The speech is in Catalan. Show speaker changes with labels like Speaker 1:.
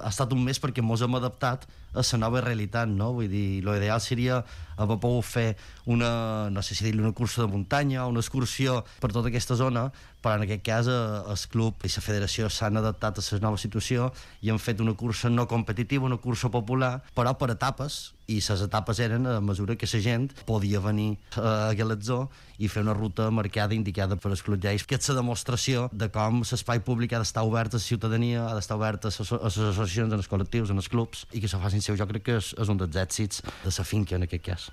Speaker 1: Ha estat un mes perquè mos hem adaptat a la nova realitat, no? Vull dir, l'ideal seria haver pogut fer no sé si dir-li una cursa de muntanya o una excursió per tota aquesta zona, però en aquest cas el club i la federació s'han adaptat a la nova situació i han fet una cursa no competitiva, una cursa popular, però per etapes, i les etapes eren a mesura que la gent podia venir a Guelatzó i fer una ruta marcada, indicada per els clubs. Que és la demostració de com l'espai públic ha d'estar obert a la ciutadania, ha d'estar obert a les associacions, als col·lectius, als clubs, i que se facin seu. Jo crec que és un dels èxits de la finca en aquest cas.